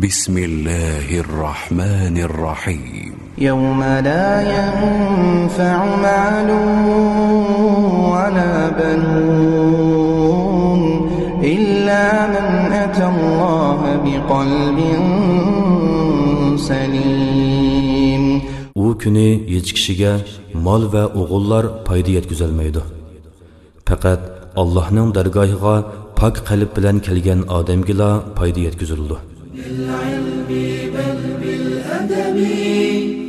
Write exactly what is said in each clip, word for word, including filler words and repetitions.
بسم الله الرحمن الرحيم. يوم لا ينفع مال ولا بنون إلا من أتى الله بقلب سليم. ئۇ كۈنى ھېچ كىشىگە مال ۋە ئوغۇللار پايدا يەتكۈزەلمەيدۇ. پەقەت ئاللاھنىڭ دەرگاھىغا پاك قەلب بىلەن كەلگەن ئادەمگىلا پايدا يەتكۈزۈلىدۇ.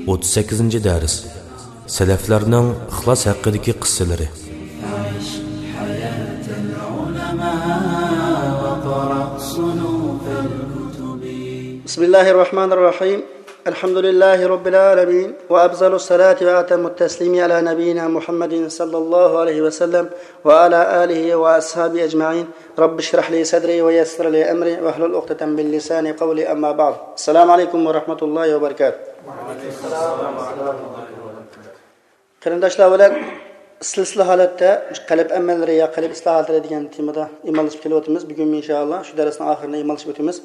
ئوتتۇز سەككىزىنچى دەرس. سەلەفلەرنىڭ ئىخلاس ھەققىدىكى قىسسىلىرى. بسم الله الرحمن الرحيم. الحمد لله رب العالمين، وأفضل الصلاة وأتم التسليم على نبينا محمد صلى الله عليه وسلم وعلى آله وأصحابه أجمعين. رب اشرح لي صدري ويسر لي أمري واحلل عقدة من لساني قولي، أما بعد. السلام عليكم ورحمة الله وبركاته. قېرىنداشلار بىلەن سىلسىلە ھالەتتە مۇشۇ قەلب ئەمەللىرى يا قەلب ئىسلاھاتلىرى دېگەن تېمىدا ئىمانلىشىپ كېلىۋاتىمىز. بۈگۈنمۇ ئىنشائاللا شۇ دەرسنىڭ ئاخىرىنى ئىمانلىشىپ ئۆتىمىز.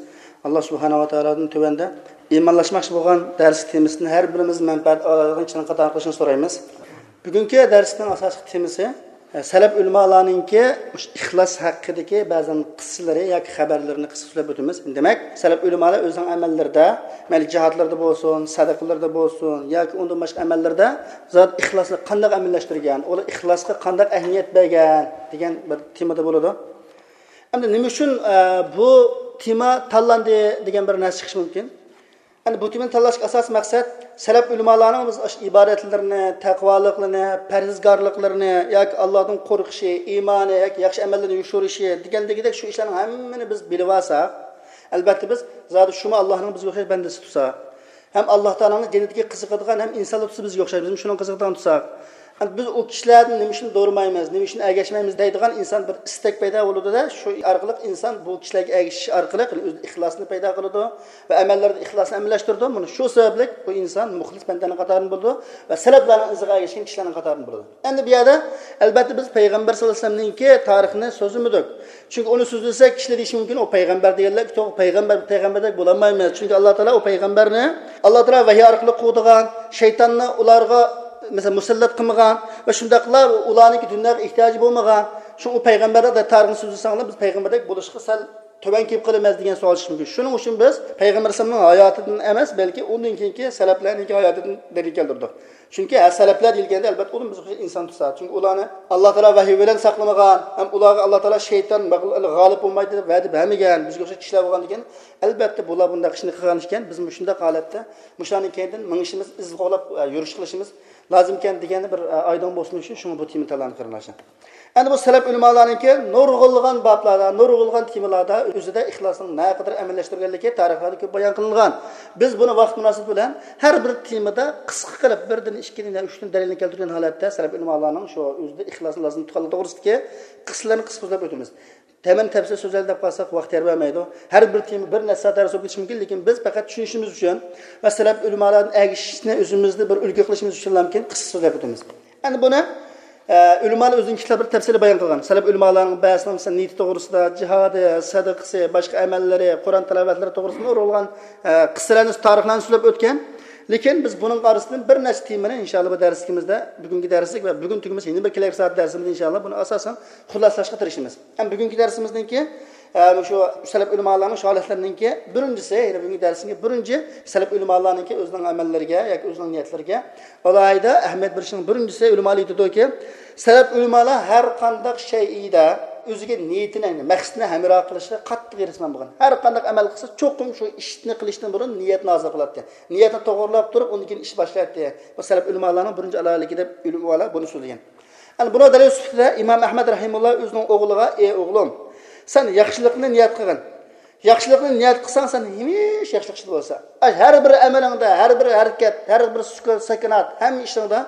ئاللا سۇبھانەھۇ ۋە تائالادىن تۆۋەندە ئىمانلاشماقچى بولغان دەرس تېمىسىدىن ھەر بىرىمىز مەنپەئەت ئالىدىغان كىشىلەرنىڭ قاتارىغا قىلىشىنى سورايمىز. بۈگۈنكى دەرسنىڭ ئاساسلىق تېمىسى، ئە، سەلەف ئۆلىمالارنىڭكى مۇشۇ ئىخلاس ھەققىدىكى بەزەن قىسسىلىرى ياكى خەۋەرلىرىنى قىسقىچە سۆزلەپ ئۆتىمىز. دېمەك، سەلەپ ئۆلىمالار ئۆزىنىڭ ئەمەللىرىدە، مەيلى جىھادلىرىدا بولسۇن، سەدىقىلىرىدا بولسۇن ياكى ئۇندىن باشقا ئەمەللىرىدە زادى ئىخلاسنى قانداق ئەمەلىيلەشتۈرگەن، ئۇلار ئىخلاسقا قانداق ئەھمىيەت بەرگەن دېگەن بىر تېمىدا بولىدۇ. ئەمدى نېمە ئۈچۈن، ئە، بۇ تېما تاللاندى دېگەن بىر نەرسە چىقىشى مۇمكىن. ئەمدى بۇ تېمىنى تاللاشتىكى ئاساسىي مەقسەت، سەلەف ئۆلىمالارنىڭ بىز ئاشۇ ئىبادەتلىرىنى، تەقۋالىقلىرىنى، پەرھىزگارلىقلىرىنى ياكى ئاللادىن قورقۇشى، ئىمانى ياكى ياخشى ئەمەللىرىنى يوشۇرۇشى دېگەندىكىدەك شۇ ئىشلارنىڭ ھەممىنى بىز بىلىۋالساق، ئەلبەتتە بىز زادى شۇمۇ ئاللانىڭ بىزگە ئوخشاش بەندىسى تۇرسا، ھەم ئاللا تائالانىڭ جەننىتىگە قىزىقىدىغان، ھەم ئىنسانلار تۇرسا بىزگە ئوخشاش، بىزمۇ شۇنىڭغا قىزىقىدىغان تۇرساق، ئەمدى بىز ئۇ كىشىلەردىن نېمە ئۈچۈن دورىمايمىز، نېمە ئۈچۈن ئەگەشمەيمىز دەيدىغان ئىنسان بىر ئىستەك پەيدا بولىدۇ-دە، شۇ ئارقىلىق ئىنسان بۇ كىشىلەرگە ئەگىشىش ئارقىلىق ئۆزىدە ئىخلاسنى پەيدا قىلىدۇ ۋە ئەمەللىرىدە ئىخلاسنى ئەمەلىيلەشتۈرىدۇ. مانا شۇ سەۋەبلىك بۇ ئىنسان مۇخلىس بەندەنىڭ قاتارىدىن بولىدۇ ۋە سەلەپلەرنىڭ ئىزىغا ئەگەشكەن كىشىلەرنىڭ قاتارىدىن بولىدۇ. ئەمدى بۇ يەردە، ئەلبەتتە، بىز پەيغەمبەر ساللاللاھۇ ئەلەيھى ۋەسەللەمنىڭكى تارىخىنى سۆزلىمىدۇك. چۈنكى ئۇنى سۆزلىسەك، كىشىلەر دېيىشى مۇمكىن، ئۇ پەيغەمبەر دېگەنلەر، يوق، پەيغەمبەر، پەيغەمبەردەك بولالمايمىز. چۈنكى ئاللا تائالا ئۇ پەيغەمبەرنى، ئاللا تائالا ۋەھىي ئارقىلىق قوغدىغان، شەيتاننى ئۇلارغا، مەسىلەن، مۇسەللەت قىلمىغان ۋە شۇنداقلا ئۇلارنىڭكى دۇنياغا ئېھتىياجى بولمىغان. شۇ ئۇ پەيغەمبەردەك تارىخنى سۆزلىسەڭلار، بىز پەيغەمبەردەك بولۇشقا سەل تۆۋەن كېلىپ قالىمىز دېگەن سوئال چىقىشى مۇمكىن. شۇنىڭ ئۈچۈن بىز پەيغەمبەر ئەلەيھىسسالامنىڭ ھاياتىدىن ئەمەس، بەلكى ئۇندىن كېيىنكى سەلەپلەرنىڭكى ھاياتىدىن دەلىل كەلتۈردۇق. چۈنكى ھە، سەلەپلەر دېيىلگەندە، ئەلبەتتە، ئۇلار بىزگە ئوخشاش ئىنسان تۇرسا. چۈنكى ئۇلارنى ئاللا تائالا ۋەھىي بىلەن ساقلىمىغان، ھەم ئۇلارغا ئاللا تائالا شەيتان مەغ-، غالىب بولمايدۇ دەپ ۋەدە بەرمىگەن، بىزگە ئوخشاش كىشىلەر بولغاندىكىن، ئەلبەتتە، بۇلار بۇنداق ئىشنى قىلغان ئىكەن، بىزمۇ شۇنداق ھالەتتە مۇشۇلارنىڭ كەينىدىن مېڭىشىمىز، ئىز قوغلاپ، ئە، يۈرۈش قىلىشىمىز لازىمكەن دېگەننى بىر، ئە، ئايدىڭ بولسۇن ئۈچۈن شۇڭا بۇ تېمىنى تاللىدىم، قېرىنداشلار. ئەمدى بۇ سەلەپ ئۆلىمالارنىڭكى نۇرغۇنلىغان بابلاردا، نۇرغۇنلىغان تېمىلاردا ئۆزىدە ئىخلاسنىڭ نەقەدەر ئەمەلىيلەشتۈرگەنلىكى تارىخلاردا كۆپ بايان قىلىنغان. بىز بۇنى ۋاقىت مۇناسىۋىتى بىلەن ھەر بىر تېمىدا قىسقا قىلىپ بىردىن، ئىككىدىن يا ئۈچتىن دەلىلنى كەلتۈرگەن ھالەتتە سەلەپ ئۆلىمالارنىڭ شۇ ئۆزىدە ئىخلاسنى لازىم تۇتقانلىقى توغرىسىدىكى قىسسىلارنى قىسقا سۆزلەپ ئۆتىمىز. تەمەن تەپسىل سۆزلەيلى دەپ قالساق، ۋاقىت يار بەرمەيدۇ. ھەر بىر تېما بىر نەچچە سائەت دەرس بولۇپ كېتىشى مۇمكىن، لېكىن بىز پەقەت چۈشىنىشىمىز ئۈچۈن ۋە سەلەپ ئۆلىمالاردىن ئەگىشىشنى ئۆزىمىزدە بىر ئۈلگە قىلىشىمىز ئۈچۈنلەرمىكىن قىسقا سۆزلەپ ئۆتىمىز. ئەمدى بۇنى، ئە، ئۆلىمالار ئۆزىنىڭ كىتابلىرىدا تەپسىلىي بايان قىلغان. سەلەپ ئۆلىمالارنىڭ بەزىسىنىڭ، مەسىلەن، نىيىتى توغرىسىدا، جىھادى، سەدىقىسى، باشقا ئەمەللىرى، قۇرئان تىلاۋەتلىرى توغرىسىدا نۇرغۇنلىغان، ئە، قىسسىلەرنى، تارىخلارنى سۆزلەپ ئۆتكەن. لېكىن بىز بۇنىڭ ئارىسىدىن بىر نەچچە تېمىنى، ئىنشائاللا، بۇ دەرسلىكىمىزدە، بۈگۈنكى دەرسلىك ۋە بۈگۈن تۈگىمىسە، يەنە بىر كېلەر سائەت دەرسىمىزدە، ئىنشائاللا، بۇنى ئاساسەن خۇلاسىلاشقا تىرىشىمىز. ھەم بۈگۈنكى دەرسىمىزنىڭكى، ئە، مۇشۇ سەلەپ ئۆلىمالارنىڭ شۇ ھالەتلىرىنىڭكى بىرىنچىسى، يەنى بۈگۈنكى دەرسىمىزنىڭكى بىرىنچى سەلەپ ئۆلىمالارنىڭكى ئۆزىنىڭ ئەمەللىرىگە ياكى ئۆزىنىڭ نىيەتلىرىگە ئالاھىدە ئەھمىيەت بېرىشنىڭ بىرىنچىسى، ئۆلىمالار ئېيتىدۇكى، سەلەپ ئۆلىمالار ھەر قانداق شەيئىدە ئۆزىگە نىيىتىنى، يەنى مەقسىتىنى ھەمراھ قىلىشقا قاتتىق ھېرىسمەن بولغان. ھەر قانداق ئەمەل قىلسا، چوقۇم شۇ ئىشنى قىلىشتىن بۇرۇن نىيەتنى ھازىر قىلاتتى. نىيەتنى توغرىلاپ تۇرۇپ، ئۇندىن كېيىن ئىش باشلايتتى. بۇ سەلەپ ئۆلىمالارنىڭ بىرىنچى ئالاھىدىلىكى دەپ ئۆلىمالار بۇنى سۆزلىگەن. ئەنە بۇنىڭ دەلىل سۈپىتىدە ئىمام ئەھمەد رەھىمۇللا ئۆزىنىڭ ئوغلىغا، ئى ئوغلۇم، سەن ياخشىلىقنى نىيەت قىلغىن. ياخشىلىقنى نىيەت قىلساڭ، سەن ھەمىشە ياخشىلىق ئىچىدە بولىسەن. ئاي، ھەر بىر ئەمىلىڭدە، ھەر بىر ھەرىكەت، ھەر بىر سۈكۈت، سەكىنات، ھەممە ئىشىڭدا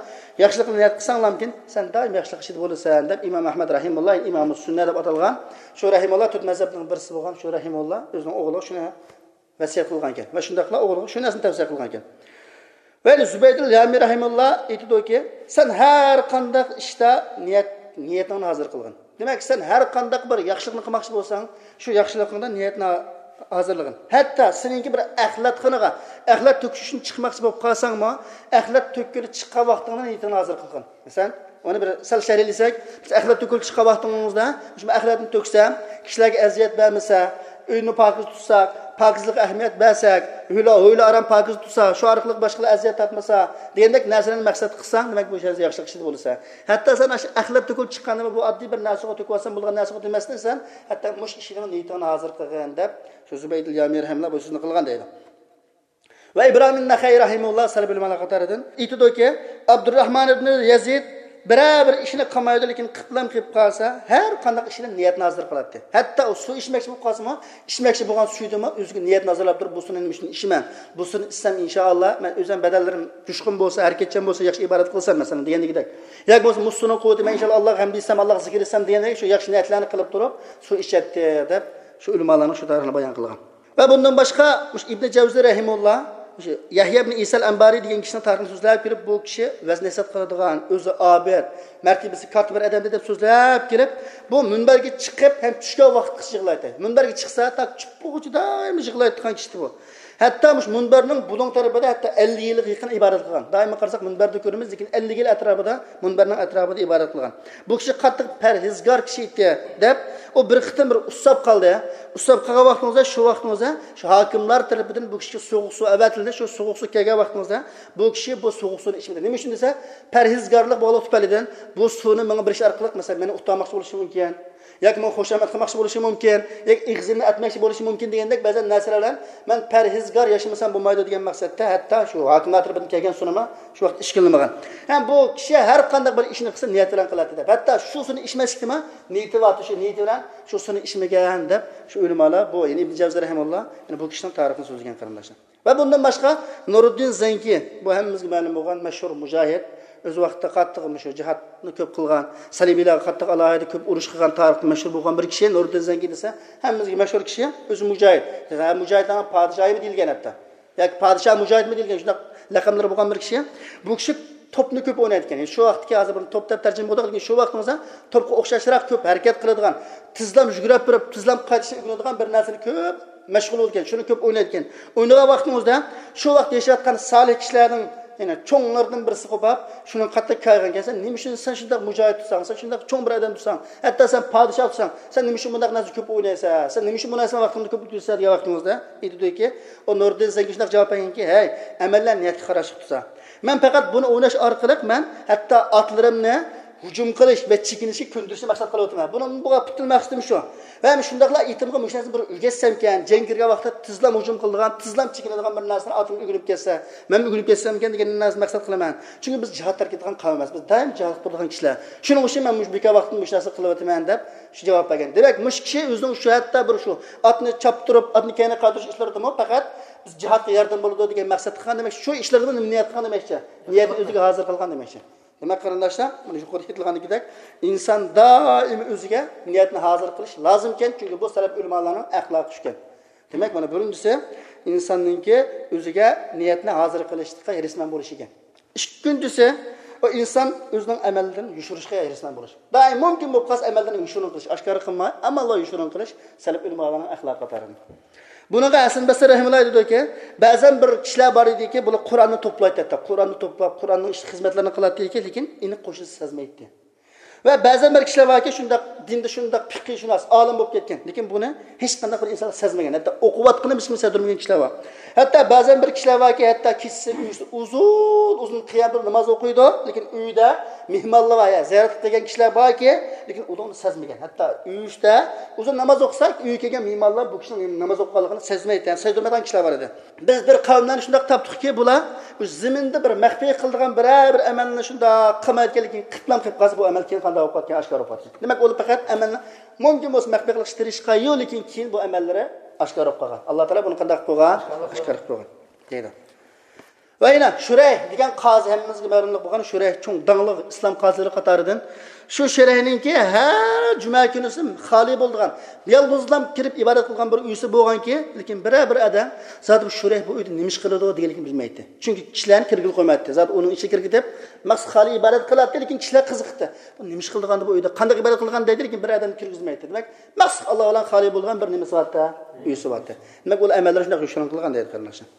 ياخشىلىقنى نىيەت قىلساڭلامكىن، سەن دائىم ياخشىلىق ئىچىدە بولىسەن، دەپ ئىمام ئەھمەد رەھىمۇللا، ئىمامۇ سۈننە دەپ ئاتالغان شۇ رەھىمۇللا، تۆت مەزھەپنىڭ بىرسى بولغان شۇ رەھىمۇللا ئۆزىنىڭ ئوغلىغا شۇنى ۋەسىيەت قىلغان ئىكەن. ۋە شۇنداقلا ئوغلىغا شۇ نەرسىنى تەۋسىيە قىلغان ئىكەن. ۋە زۇبەيدۇل يامى رەھىمۇللا ئېيتىدۇكى، سەن ھەر قانداق ئىشتا نىيەت، نىيىتىڭنى ھازىر قىلغىن. دېمەك، سەن ھەر قانداق بىر ياخشىلىقنى قىلماقچى بولساڭ، شۇ ياخشىلىقىڭدا نىيەتنى ھازىرلىغىن. ھەتتا سېنىڭكى بىر ئەخلەتخانىغا ئەخلەت تۆكۈش ئۈچۈن چىقماقچى بولۇپ قالساڭمۇ، ئەخلەت تۆككىلى چىققان ۋاقتىڭدا نىيىتىڭنى ھازىر قىلغىن. مەسىلەن، ئۇنى بىر سەل شەرھلىسەك، بىز ئەخلەت تۆكۈلۈپ چىققان ۋاقتىڭىزدا، مۇشۇ ئەخلەتنى تۆكسەم، كىشىلەرگە ئەزىيەت بەرمىسە، ئۆينى پاكىز تۇتساق، پاكىزلىققا ئەھمىيەت بەرسەك، ھويلا، ھويلا ئارام پاكىز تۇتسا، شۇ ئارقىلىق باشقىلار ئەزىيەت تارتمىسا، دېگەندەك نەرسىلەرنى مەقسەت قىلساڭ، دېمەك، بۇ يەردە ياخشىلىق ئىچىدە بولىسەن. ھەتتا سەن ئاشۇ ئەخلەت تۆكۈلۈپ چىققاندا، بۇ ئاددىي بىر نەرسىگە تۆكۈۋالسام بولغان نەرسىگە دېمەستىن، سەن ھەتتا مۇشۇ ئىشنىڭ نىيىتىڭنى ھازىر قىلغىن، دەپ، شۇ زۇبەيدۇل يامى رەھىمۇللا بۇ سۆزنى قىلغان دەيدۇ. ۋە ئىبراھىم نەخەي رەھىمۇللا سەلەف ئۆلىمالار قاتارىدىن ئېيتىدۇكى، ئابدۇرراھمان ئىبنى يەزىد بىرەر بىر ئىشنى قىلمايدۇ، لېكىن قىپلام قىلىپ قالسا، ھەر قانداق ئىشنى نىيەتنى ھازىر قىلاتتى. ھەتتا ئۇ سۇ ئىچمەكچى بولۇپ قالسىمۇ، ئىچمەكچى بولغان سۈيىدىمۇ ئۆزىگە نىيەتنى ھازىرلاپ تۇرۇپ، بۇ سۇنى نېمە ئۈچۈن ئىچىمەن؟ بۇ سۇنى ئىچسەم، ئىنشائاللا، مەن ئۆزۈم بەدەنلىرىم جۇشقۇن بولسا، ھەرىكەتچان بولسا، ياخشى ئىبادەت قىلسام، مەسىلەن، دېگەندىكىدەك. ياكى بولمىسا، مۇشۇ سۇنىڭ قۇۋۋىتى مەن ئىنشائاللا ئاللاغا ھەمدە ئېيتسام، ئاللاغا زىكىر ئېيتسام دېگەندەك شۇ ياخشى نىيەتلەرنى قىلىپ تۇرۇپ، سۇ ئىچەتتى، دەپ شۇ ئۆلىمالارنىڭ شۇ تارىخىنى بايان قىلغان. ۋە بۇندىن باشقا، مۇشۇ ئىبنى جەۋزى رەھىمۇللا، مۇشۇ يەھيا ئىبنى ئىسال ئەنبارى دېگەن كىشىنىڭ تارىخىنى سۆزلەپ كېلىپ، بۇ كىشى ۋەز نەسىھەت قىلىدىغان، ئۆزى ئابىد، مەرتىبىسى كاتتا بىر ئادەمدى دەپ سۆزلەپ كېلىپ، بۇ مۇنبەرگە چىقىپ ھەم چۈشكەن ۋاقىتقىچە يىغلايتتى. مۇنبەرگە چىقسا، تا چۈشكىچە دائىم يىغلايدىغان كىشى ئىدى بۇ. ھەتتا مۇشۇ مۇنبەرنىڭ بۇلۇڭ تەرىپىدە ھەتتا ئەللىك يىلغا يېقىن ئىبادەت قىلغان. دائىم قارىساق، مۇنبەردە كۆرىمىز، لېكىن ئەللىك يىل ئەتراپىدا مۇنبەرنىڭ ئەتراپىدا ئىبادەت قىلغان. بۇ كىشى قاتتىق پەرھىزگار كىشى ئىدى، دەپ، ئۇ بىر قېتىم بىر ئۇسساپ قالدى. ئۇسساپ قالغان ۋاقتىڭىزدا، شۇ ۋاقتىڭىزدا شۇ ھاكىملار تەرىپىدىن بۇ كىشىگە سوغۇق سۇ ئەۋەتىلدى. شۇ سوغۇق سۇ كەلگەن ۋاقتىڭىزدا بۇ كىشى بۇ سوغۇق سۇنى ئىچمىدى. نېمە ئۈچۈن دېسە، پەرھىزگارلىق بولغانلىقى تۈپەيلىدىن بۇ سۇنى ماڭا بېرىش ئارقىلىق، مەسىلەن، مېنى ئۇتتۇرماقچى بولۇشى مۇمكىن، ياكى ماڭا خۇشامەت قىلماقچى بولۇشى مۇمكىن، ياكى ئېغىزىمنى ئەتمەكچى بولۇشى مۇمكىن دېگەندەك بەزەن نەرسىلەر بىلەن مەن پەرھىزگار ياشىمىسام بولمايدۇ دېگەن مەقسەتتە، ھەتتا شۇ ھاكىملار تەرىپىدىن كەلگەن سۇنىمۇ شۇ ۋاقىت ئىچكىلىمىغان. ھەم بۇ كىشى ھەر قانداق بىر ئىشنى قىلسا نىيەت بىلەن قىلاتتى دەپ. ھەتتا شۇ سۇنى ئىچمەسلىكنىمۇ نىيىتى بار، شۇ نىيىتى بىلەن شۇ سۇنى ئىچمىگەن دەپ شۇ ئۆلىمالار، بۇ، يەنى ئىبن جەۋزى رەھىمۇللا، يەنى بۇ كىشىنىڭ تارىخىنى سۆزلىگەن قېرىنداشلار. ۋە بۇندىن باشقا نۇرۇددىن زەنكى، بۇ ھەممىمىزگە مەلۇم بولغان مەشھۇر مۇجاھىد، ئۆز ۋاقتىدا قاتتىق مۇشۇ جىھادنى كۆپ قىلغان، سەلىبىيلەرگە قاتتىق ئالاھىدە كۆپ ئۇرۇش قىلغان، تارىختا مەشھۇر بولغان بىر كىشى. نۇرۇددىن زەنكى دېسە، ھەممىمىزگە مەشھۇر كىشى، ئۆزى مۇجاھىد. ھە، مۇجاھىدلارنىڭ پادىشاھىمۇ دېيىلگەن ھەتتا. ياكى پادىشاھ مۇجاھىدمۇ دېيىلگەن، شۇنداق لەقەملىرى بولغان بىر كىشى. بۇ كىشى توپنى كۆپ ئوينايدىكەن. شۇ ۋاقىتتىكى، ھازىر بۇنى توپ دەپ تەرجىمە قىلدۇق، لېكىن شۇ ۋاقتىڭىزدا توپقا ئوخشاشراق كۆپ ھەرىكەت قىلىدىغان، تېزلا يۈگۈرۈپ بېرىپ، تېزلا قايتىشنى ئۆگىنىدىغان بىر نەرسىنى كۆپ مەشغۇل بولىدىكەن، شۇنى كۆپ ئوينايدىكەن. ئوينىغان ۋاقتىڭىزدا شۇ ۋاقىت ياشاۋاتقان سالىھ كىشىلەرنىڭ، يەنى چوڭلىرىدىن بىرسى قوپاپ، شۇنىڭ قاتتىق كايىغانكەن، سەن نېمە ئۈچۈن، سەن شۇنداق مۇجاھىد تۇرساڭ، سەن شۇنداق چوڭ بىر ئادەم تۇرساڭ، ھەتتا سەن پادىشاھ تۇرساڭ، سەن نېمە ئۈچۈن بۇنداق نەرسە كۆپ ئوينايسەن، سەن نېمە ئۈچۈن بۇ نەرسە ۋاقتىڭنى كۆپ ئۆتكۈزىسەن دېگەن ۋاقتىڭىزدا ئېيتىدۇكى، ئۇ نۇردىن زەنكى شۇنداق جاۋاب بەرگەنكى، ھەي، ئەمەللەر نىيەتكە قاراشلىق تۇرسا. مەن پەقەت بۇنى ئويناش ئارقىلىق مەن ھەتتا ئاتلىرىمنى ھۇجۇم قىلىش ۋە چېكىنىشكە كۆندۈرۈشنى مەقسەت قىلىۋاتىمەن. بۇنىڭ بۇ پۈتۈن مەقسىتىم شۇ. ۋە شۇنداقلا ئېتىمغا مۇشۇ نەرسىنى بىر ئۆگەتسەمكەن، جەڭ كىرگەن ۋاقىتتا تېزلا ھۇجۇم قىلىدىغان، تېزلا چېكىنىدىغان بىر نەرسىنى ئاتىم ئۆگىنىپ كەتسە، مەنمۇ ئۆگىنىپ كەتسەمكەن دېگەن نەرسىنى مەقسەت قىلىمەن. چۈنكى بىز جىھاد تەرك ئېتىدىغان قەۋم ئەمەس، بىز دائىم جىھاد قىلىدىغان كىشىلەر. شۇنىڭ ئۈچۈن مەن مۇشۇ بىكار ۋاقتىمدا مۇشۇ نەرسىنى قىلىۋاتىمەن دەپ شۇ جاۋاب بەرگەن. دېمەك، مۇشۇ كىشى ئۆزىنىڭ شۇ ھەتتا بىر شۇ ئاتنى چاپتۇرۇپ، ئاتنى كەينىگە قايتۇرۇش ئىشلىرىدىمۇ پەقەت بىز جىھادقا ياردەم بولىدۇ دېگەن مەقسەتتە قىلغان دېمەك، شۇ ئىشلىرىغا نېمە نىيەت قىلغان دېمەكچى؟ نىيەتنى ئۆزىگە ھازىر قىلغان دېمەكچى. دېمەك، قېرىنداشلار، مانا يۇقىرىدا ئېيتىلغاندىكىدەك، ئىنسان دائىم ئۆزىگە نىيەتنى ھازىر قىلىش لازىمكەن، چۈنكى بۇ سەلەپ ئۆلىمالارنىڭ ئەخلاقى شۇكەن. دېمەك، مانا بىرىنچىسى، ئىنساننىڭكى ئۆزىگە نىيەتنى ھازىر قىلىشلىققا ھېرىسمەن بولۇشى ئىكەن. ئىككىنچىسى، ئۇ ئىنسان ئۆزىنىڭ ئەمەللىرىنى يوشۇرۇشقا ھېرىسمەن بولۇش. دائىم مۇمكىن بولۇپ قالسا ئەمەللىرىنى يوشۇرۇن قىلىش، ئاشكارا قىلماي، ئەمما يوشۇرۇن قىلىش سەلەپ ئۆلىمالارنىڭ ئەخلاقى قاتارىدىن. بۇنىڭغا ھەسەن بەسرى رەھىمۇللا ئېيتىدۇكى، بەزەن بىر كىشىلەر بار ئىدىكى، بۇلار قۇرئاننى توپلايتتى، ھەتتا قۇرئاننى توپلاپ، قۇرئاننىڭ ئىشلىق خىزمەتلىرىنى قىلاتتى، لېكىن ئېنىق قوشنىسى سەزمەيتتى. ۋە بەزەن بىر كىشىلەر باركى، شۇنداق دىندا شۇنداق پىقىھشۇناس، ئالىم بولۇپ كەتكەن، لېكىن بۇنى ھېچقانداق بىر ئىنسان سەزمىگەن، ھەتتا ئوقۇۋاتقىنى ھېچكىم سەزدۈرمىگەن كىشىلەر بار. ھەتتا بەزەن بىر كىشىلەر باركى، ھەتتا كېچىسى ئۆيىسىدە ئۇزۇن ئۇزۇن قىيام تۇرۇپ ناماز ئوقۇيدۇ، لېكىن ئۆيىدە مېھمانلار بار، يا زىيارەت قىلىپ كەلگەن كىشىلەر باركى، لېكىن ئۇنى سەزمىگەن. ھەتتا ئۆيىسىدە ئۇزۇن ناماز ئوقۇسا، ئۆيگە كەلگەن مېھمانلار بۇ كىشىنىڭ ناماز ئوقۇغانلىقىنى سەزمەيدىكەن، سەزدۈرمەيدىغان كىشىلەر بار ئىدى. بىز بىر قەۋملەرنى شۇنداق تاپتۇقكى، بۇلار بۇ زېمىندا بىر مەخپىي قىلىدىغان بىرەر بىر ئەمەلنى شۇنداق قىلمايدىكەن، لېكىن قىپلام قىلىپ قالسا، بۇ ئەمەل كېيىن قانداق بولۇپ قالىدىكەن، ئاشكارا بولۇپ قالىدىكەن. دېمەك، ئۇلار پەقەت ئەمەلنى مۇمكىن بولسا مەخپىي قىلىشقا تىرىشقان، لېكىن كېيىن بۇ ئەمەللىرى ئاشكارا بولۇپ قالغان. ئاللا تائالا بۇنى قانداق قىلىپ قويغان؟ ئاشكارا قىلىپ قويغان دەيدۇ. ۋە يەنە شۇرەيھ دېگەن قازى، ھەممىمىزگە مەلۇملۇق بولغان شۇرەيھ، چوڭ داڭلىق ئىسلام قازىلىرى قاتارىدىن. شۇ شۇرەيھنىڭكى ھەر جۈمە كۈنىسى خالىي بولىدىغان، يالغۇزلام كىرىپ ئىبادەت قىلغان بىر ئۆيسى بولغانكى، لېكىن بىرەر بىر ئادەم زادى بۇ شۇرەيھ بۇ ئۆيدە نېمە ئىش قىلىدۇ دېگەنلىكىنى بىلمەيتتى. چۈنكى كىشىلەرنى كىرگىلى قويمايتتى. زادى ئۇنىڭ ئىچىگە كىرگۈدەپ مەخسۇس خالىي ئىبادەت قىلاتتى، لېكىن كىشىلەر قىزىقتى. بۇ نېمە ئىش قىلىدىغان بۇ ئۆيدە، قانداق ئىبادەت قىلىدىغان دەيدۇ، لېكىن بىر ئادەم كىرگۈزمەيتتى. دېمەك، مەخسۇس ئاللا بىلەن خالىي بولغان بىر نېمىسى بارتتى، ئۆيسى بارتتى. دېمەك، ئۇلار ئەمەللىرى شۇنداق يوشۇرۇن قىلغان دەيدۇ، قېرىنداشلار.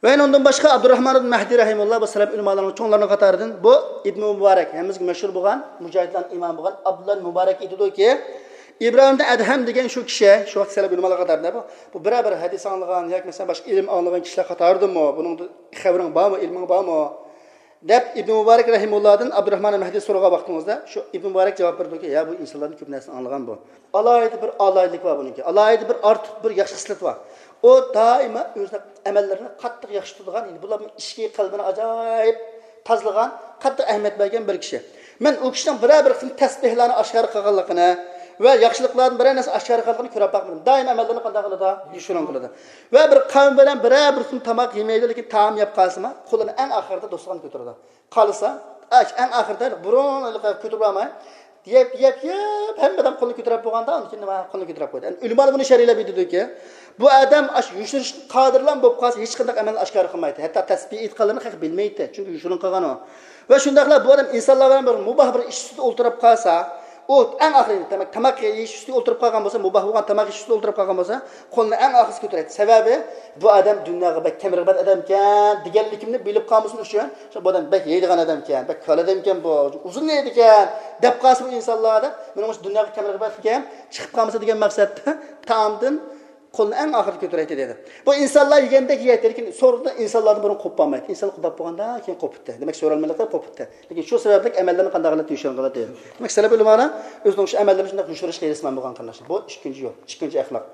ۋە ئۇنىڭدىن باشقا ئابدۇراھمان ئىبن مەھدى رەھىمۇللا، بۇ سەلەپ ئۆلىمالارنىڭ چوڭلىرىنىڭ قاتارىدىن، بۇ ئىبن مۇبارەك، ھەممىمىزگە مەشھۇر بولغان، مۇجاھىدلارنىڭ ئىمامى بولغان ئابدۇللا مۇبارەك ئېيتىدۇكى، ئىبراھىم ئەدھەم دېگەن شۇ كىشى، شۇ ۋاقىت سەلەپ ئۆلىمالار قاتارىدا بۇ، بۇ بىرەر بىر ھەدىس ئاڭلىغان ياكى مەسىلەن باشقا ئىلىم ئاڭلىغان كىشىلەر قاتارىدىمۇ، بۇنىڭدا خەۋىرىڭ بارمۇ، ئىلمىڭ بارمۇ؟ دەپ ئىبن مۇبارەك رەھىمۇللادىن ئابدۇراھمان مەھدى سورىغان ۋاقتىمىزدا، شۇ ئىبن مۇبارەك جاۋاب بېرىدۇكى، يا، بۇ ئىنسانلاردىن كۆپ نەرسىنى ئاڭلىغان بۇ. ئالاھىدە بىر ئالاھىدىلىك بار بۇنىڭكى. ئالاھىدە بىر ئارتۇق بىر ياخشى خىسلىتى بار. ئۇ دائىما ئۆزىنىڭ ئەمەللىرىنى قاتتىق ياخشى تۇتىدىغان، يەنى بۇلارنىڭ ئىچكى قەلبىنى ئاجايىپ تازىلىغان، قاتتىق ئەھمىيەت بەرگەن بىر كىشى. مەن ئۇ كىشىنىڭ بىرەر بىر قىسىم تەسبىھلارنى ئاشكارا قىلغانلىقىنى ۋە ياخشىلىقلاردىن بىرەر نەرسە ئاشكارا قىلغانلىقىنى كۆرۈپ باقمىدىم. دائىم ئەمەللىرىنى قانداق قىلىدۇ؟ يوشۇرۇن قىلىدۇ. ۋە بىر قەۋم بىلەن بىرەر بىر قىسىم تاماق يېمەيدۇ، لېكىن تائام يەپ قالسىمۇ، قولىنى ئەڭ ئاخىرىدا دوستىخانغا كۆتۈرىدۇ. قالسا، ئەش-، ئەڭ ئاخىرىدا بۇرۇن كۆتۈرۈپ ئالماي، يەپ، يەپ، يەپ، ھەممە ئادەم قولىنى كۆتۈرۈپ بولغاندا، ئاندىن كېيىن نېمە، قولىنى كۆتۈرۈپ قويدى. ئەمدى ئۆلىمالار بۇنى شەرھلەپ ئېيتىدۇكى، بۇ ئادەم ئاشۇ يوشۇرۇشقا قادىرلا بولۇپ قالسا، ھېچقانداق ئەمەلنى ئاشكارا قىلمايتتى. ھەتتا تەسبىھ ئېيتقانلىرىنى خەق بىلمەيتتى، چۈنكى يوشۇرۇن قىلغان ئۇ. ۋە شۇنداقلا بۇ ئادەم ئىنسانلار بىلەن بىر مۇباھ بىر ئىش ئۈستىدە ئولتۇرۇپ قالسا، ئۇ ئەڭ ئاخىرى تاماق، تاماق يېيىش ئۈستىدە ئولتۇرۇپ قالغان بولسا، مۇباھ بولغان تاماق يېيىش ئۈستىدە ئولتۇرۇپ قالغان بولسا، قولىنى ئەڭ ئاخىرسى كۆتۈرەيتتى. سەۋەبى، بۇ ئادەم دۇنياغا بەك كەمرىقىبات ئادەمكەن دېگەنلىكىمنى بىلىپ قالمىسۇن ئۈچۈن، شۇ بۇ ئادەم بەك يەيدىغان ئادەمكەن، بەك كالىدەمكەن بۇ، ئۇزۇن يەيدىكەن دەپ قالسا بۇ ئىنسانلار دەپ، مېنىڭ مۇشۇ دۇنياغا كەمرىقىباتكەن، چىقىپ قالمىسا دېگەن مەقسەتتە تائامدىن قولىنى ئەڭ ئاخىرىدا كۆتۈرەيتتى دېدى. بۇ ئىنسانلار يېگەندەك يەيتتى، لېكىن سورۇندا ئىنسانلاردىن بۇرۇن قوپۇپ بولمايتتى. ئىنسانلار قوپۇپ بولغاندا كېيىن قوپۇپتۇ. دېمەك، سورالمىلىقى قوپۇپتۇ. لېكىن شۇ سەۋەبلىك ئەمەللىرىنى قانداق قىلىپ يوشۇرۇن قىلىدۇ دېدى. دېمەك، سەلەپ ئۆلىمالار ئۆزىنىڭ شۇ ئەمەللىرىنى شۇنداق يوشۇرۇشقا ھېرىسمەن بولغان قېرىنداشلار. بۇ ئىككىنچى يول، ئىككىنچى ئەخلاق.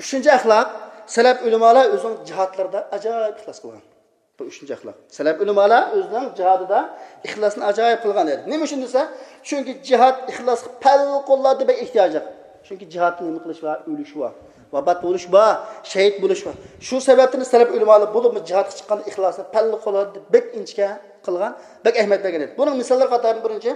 ئۈچىنچى ئەخلاق، سەلەپ ئۆلىمالار ئۆزىنىڭ جىھادلىرىدا ئاجايىپ ئىخلاس قىلغان. بۇ ئۈچىنچى ئەخلاق. سەلەپ ئۆلىمالار ئۆزىنىڭ جىھادىدا ئىخلاسنى ئاجايىپ قىلغان ئىدى. نېمە ئۈچۈن دېسە، چۈنكى جىھاد ئىخلاسقا پەۋقۇلئاددە بەك ئېھتىياجلىق. چۈنكى جىھادتا نېمە قىلىش بار؟ ئۆلۈش بار، ۋاپات بولۇش بار، شەھىت بولۇش بار. شۇ سەۋەبتىن سەلەپ ئۆلىمالار بولۇپمۇ جىھادقا چىققاندا ئىخلاسنى پەۋقۇلئاددە بەك ئىنچىكە قىلغان، بەك ئەھمىيەت بەرگەن ئىدى. بۇنىڭ مىساللىرى قاتارىدىن بىرىنچى،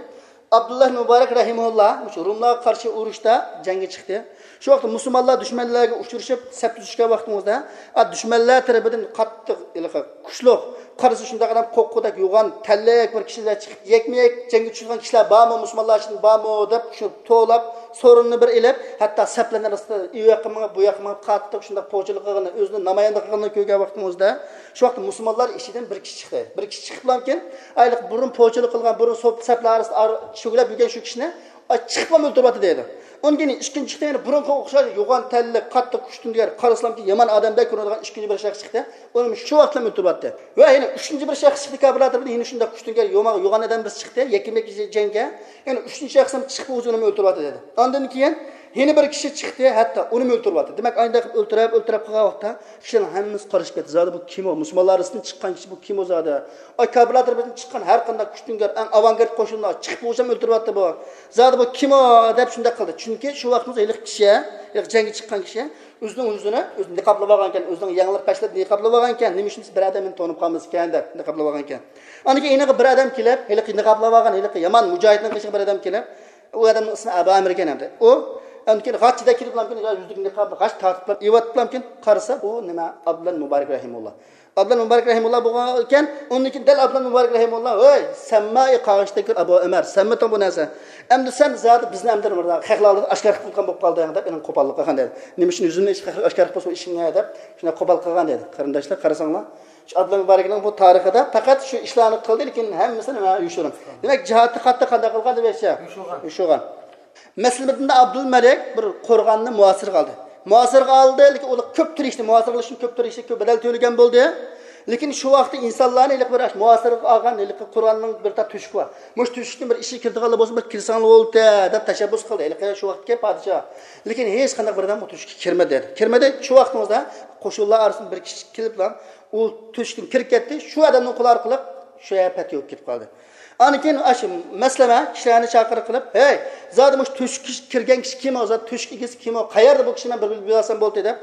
ئابدۇللا مۇبارەك رەھىمەھۇللا مۇشۇ روملارغا قارشى ئۇرۇشتا جەڭگە چىقتى. شۇ ۋاقىتتا مۇسۇلمانلار دۈشمەنلەرگە ئۇچرىشىپ، سەپتە تۇرۇشقان ۋاقتىمىزدا، ئا، دۈشمەنلەر تەرىپىدىن قاتتىق، ھېلىقى كۈچلۈك، قارىسا شۇنداق ئادەم قوققۇدەك يوغان تەنلىك بىر كىشىلەر چىقىپ، يەكمۇ يەك جەڭگە چۈشىدىغان كىشىلەر بارمۇ، مۇسۇلمانلار ئىچىدە بارمۇ دەپ، شۇ توۋلاپ، سورۇننى بىر ئېلىپ، ھەتتا سەپلەرنى ئارىسىدا ئۇ ياققا مېڭىپ، بۇ ياققا مېڭىپ، قاتتىق شۇنداق پوچىلىق قىلغىنى، ئۆزىنى نامايەندە قىلغىنىنى كۆرگەن ۋاقتىمىزدا، شۇ ۋاقىتتا مۇسۇلمانلار ئىچىدىن بىر كىشى چىقتى. بىر كىشى چىقىپلامكىن، ئايلىق بۇرۇن پوچىلىق قىلغان، بۇرۇن سوپ-، سەپلەر ئارىسىدا ئار-، شۆگىلەپ يۈرگەن شۇ كىشىنى، ئاي، چىقىپلا ئۆلتۈرۈۋەتتى دەيدۇ. ئۇندىن كېيىن ئىككىنچى چىقتى، يەنە بۇرۇنقىغا ئوخشاش يوغان تەنلىك، قاتتىق كۈچتۈڭگەر، قارىسىلامكى يامان ئادەمدەك كۆرۈنىدىغان ئىككىنچى بىر شەخس چىقتى. ئۇنى شۇ ۋاقىتلا ئۆلتۈرۈۋەتتى. ۋە يەنە ئۈچىنچى بىر شەخس چىقتى، كاپىرلار تەرىپىدىن يەنە شۇنداق كۈچتۈڭگەر، يوما-، يوغان ئادەم بىرسى چىقتى، يەككىمەككە جەڭگە. يەنە ئۈچىنچى شەخس ھەم چىقىپ ئۆزىنى ئۆلتۈرۈۋەتتى دەيدۇ. ئاندىن كېيىن يەنە بىر كىشى چىقتى، ھەتتا ئۇنىمۇ ئۆلتۈرۈۋەتتى. دېمەك، ئانداق قىلىپ ئۆلتۈرۈپ، ئۆلتۈرۈپ قىلغان ۋاقىتتا كىشىلەرنىڭ ھەممىسى قارىشىپ كەتتى. زادى بۇ كىم ئۇ؟ مۇسۇلمانلار ئارىسىدىن چىققان كىشى بۇ كىم ئۇ زادى؟ ئاي، كاپىرلار تەرىپىدىن چىققان ھەر قانداق كۈچتۈڭگەر، ئەڭ ئاۋانگارت قوشۇنلار چىقىپ بولسام ئۆلتۈرۈۋەتتى بۇ. زادى بۇ كىم ئۇ دەپ شۇنداق قىلدى. چۈنكى شۇ ۋاقىتتا ھېلىقى كىشى، ھېلىقى جەڭگە چىققان كىشى ئۆزىنىڭ يۈزىنى ئۆزى نىقابلاپ ئالغانىكەن، ئۆزىنىڭ يەڭلىرى پەشلەپ نىقابلاپ ئالغانىكەن. نېمە ئۈچۈن دېسە، بىر ئادەم مېنى تونۇپ قالمىسىكەن دەپ نىقابلاپ ئالغانىكەن. ئاندىن كېيىن يېنىغا بىر ئادەم كېلىپ، ھېلىقى نىقابلاپ ئالغان، ھېلىقى يامان مۇجاھىدنىڭ قېشىغا بىر ئادەم كېلىپ، ئۇ ئادەمنىڭ ئىسمى ئەبۇ ئەمىر ئىكەن ئەمدى. ئۇ ئاندىن كېيىن غاچچىدەك كېلىپلامكىن، يا يۈزىدىكى نىقابنى غاچ تارتىپلا ئېلىۋەتىپلامكىن، قارىسا، ئۇ نېمە، ئابدۇللا مۇبارەك رەھىمۇللا. ئابدۇللا مۇبارەك رەھىمۇللا بولغان ئىكەن، ئۇندىن كېيىن دەل ئابدۇللا مۇبارەك رەھىمۇللا، ھەي، سەنمۇ ئى قاغىشتەك ئەبۇ ئۆمەر، سەنمىتىڭ بۇ نەرسە؟ ئەمدى سەن زادى بىزنى ئەمدى بىر خەقلەر ئالدىدا ئاشكارا قىلىپ قويغان بولۇپ قالدىڭ دەپ، ئېنىڭ قوپاللىق قىلغان دەيدۇ. نېمە ئۈچۈن يۈزۈمنى ئاشكارا قىلىپ قويسا ئىشىڭنى دەپ، شۇنداق قوپال قىلغان دەيدۇ. قېرىنداشلار، قارىساڭلار، شۇ ئابدۇللا مۇبارەكنىڭ بۇ تارىخىدا پەقەت شۇ ئىشلارنى قىلدى، لېكىن ھەممىسى نېمە، يوشۇرۇن. دېمەك، جىھادتا قاتتىق قانداق قىلغان دېمەكچى؟ يوشۇرغان. يوشۇرغان. مەسىلەن، ئابدۇلمەلىك بىر قورغاننى مۇھاسىرىگە ئالدى. مۇھاسىرىگە ئالدى، لېكىن ئۇلار كۆپ تىرىشتى، مۇھاسىرە قىلىش ئۈچۈن كۆپ تىرىشتى، كۆپ بەدەل تۆلىگەن بولدى. لېكىن شۇ ۋاقىتتا ئىنسانلارنى ھېلىقى بىر مۇھاسىرىگە ئالغان ھېلىقى قورغاننىڭ بىر تال تۆشۈكى بار. مۇشۇ تۆشۈكتىن بىر ئىچىگە كىرىدىغانلار بولسا، بىر كىرسەڭلار بولدى دەپ تەشەببۇس قىلدى ھېلىقى شۇ ۋاقىتتىكى پادىشاھ. لېكىن ھېچقانداق بىر ئادەم ئۇ تۆشۈككە كىرمىدى دېدى. كىرمىدى، شۇ ۋاقتىڭىزدا قوشۇنلار ئارىسىدىن بىر كىشى كېلىپلا ئۇ تۆشۈكتىن كىرىپ كەتتى، شۇ ئادەمنىڭ قولى ئارقىلىق شۇ يەر پەتھى بولۇپ كېتىپ قالدى. ئاندىن كېيىن ئاشۇ مەسلىمە كىشىلەرنى چاقىرىق قىلىپ، ھەي، زادى مۇشۇ تۆشۈككە كىرگەن كىشى كىم ئۇ؟ زادى تۆشۈك ئىگىسى كىم ئۇ؟ قەيەردە بۇ كىشىنى مەن بىر بىلىپ بىلسەم بولدى دەپ،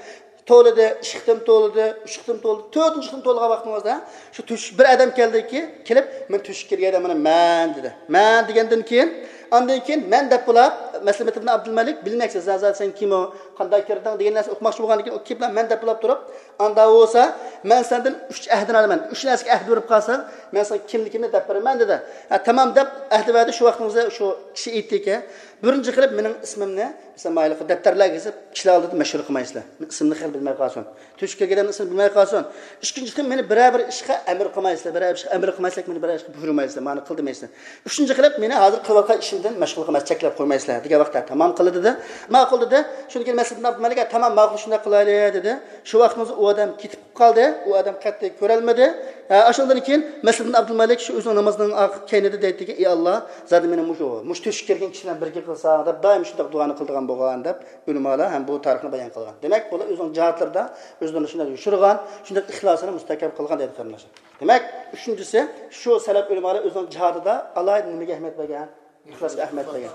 تولىدى، ئىككى قېتىم تولىدى، ئۈچ قېتىم تولىدى، تۆتىنچى قېتىم تولىغان ۋاقتىڭىزدا شۇ تۆشۈك، بىر ئادەم كەلدىكى، كېلىپ، مەن تۆشۈككە كىرگەن ئادەم، مانا مەن دېدى. مەن دېگەندىن كېيىن، ئاندىن كېيىن مەن دەپ بولاپ، مەسلىمەت ئىبن ئابدۇلمەلىك، بىلمەكچى، زازا سەن كىم ئۇ، قانداق كىردىڭ دېگەن نەرسە ئوقۇماقچى بولغاندىن كېيىن، ئۇ كېلىپلا مەن دەپ بولاپ تۇرۇپ، ئاندا بولسا، مەن سەندىن ئۈچ ئەھدىنى ئالىمەن، ئۈچ نەرسىگە ئەھدە بېرىپ قالساڭ، مەن ساڭا كىملىكىمنى دەپ بېرىمەن دېدى. ھە، تامام دەپ ئەھدە بەردى. شۇ ۋاقتىڭىزدا شۇ كىشى ئېيتتىكى، بىرىنچى قىلىپ مېنىڭ ئىسمىمنى، مەسىلەن، مايلىقى دەپتەرلەرگە يېزىپ، كىشىلەر ئالدىدا مەشھۇر قىلمايسىلەر. ئىسمىمنى خەلق بىلمەي قالسۇن. تۆشۈككە كىرگەن ئىسمىنى بىلمەي قالسۇن. ئىككىنچى قىلىپ مېنى بىرەر بىر ئىشقا ئەمىر قىلمايسىلەر. بىرەر بىر ئىشقا ئەمىر قىلمايسىلەر، مېنى بىرەر ئىشقا بۇيرۇمايسىلەر. مانا قىل دېمەيسىلەر. ئۈچىنچى قىلىپ مېنى ھازىر قىلىۋاتقان ئىشىمدىن مەشغۇل قىلمايسىلەر، چەكلەپ قويمايسىلەر دېگەن ۋاقىتتا تامام قىلدى دېدى. ماقۇل دېدى. شۇندىن كېيىن مەسلىھەت ئابدۇمەلىككە تامام ماقۇل شۇنداق قىلايلى دېدى. شۇ ۋاقتىمىزدا ئۇ ئادەم كېتىپ قالدى. ئۇ ئادەم قەتئىي كۆرەلمىدى. ھە، ئاشۇندىن كېيىن مەسلىھەت ئابدۇلمەلىك شۇ ئۆزىنىڭ نامىزىنىڭ ئاخ-، كەينىدە دەيتتىكى، ئى ئاللا، زادى مېنى مۇشۇ، مۇشۇ تۆشۈككە كىرگەن كىشى بىلەن بىرگە قىلساڭ دەپ دائىم شۇنداق دۇئانى قىلىدىغان بولغان دەپ ئۆلىمالار ھەم بۇ تارىخنى بايان قىلغان. دېمەك، بۇلار ئۆزىنىڭ جىھادلىرىدا ئۆزلىرىنى شۇنداق يوشۇرغان، شۇنداق ئىخلاسىنى مۇستەھكەم قىلغان دەيدۇ قېرىنداشلار. دېمەك، ئۈچىنچىسى، شۇ سەلەپ ئۆلىمالار ئۆزىنىڭ جىھادىدا ئالاھىدە نېمىگە ئەھمىيەت بەرگەن؟ ئىخلاسقا ئەھمىيەت بەرگەن.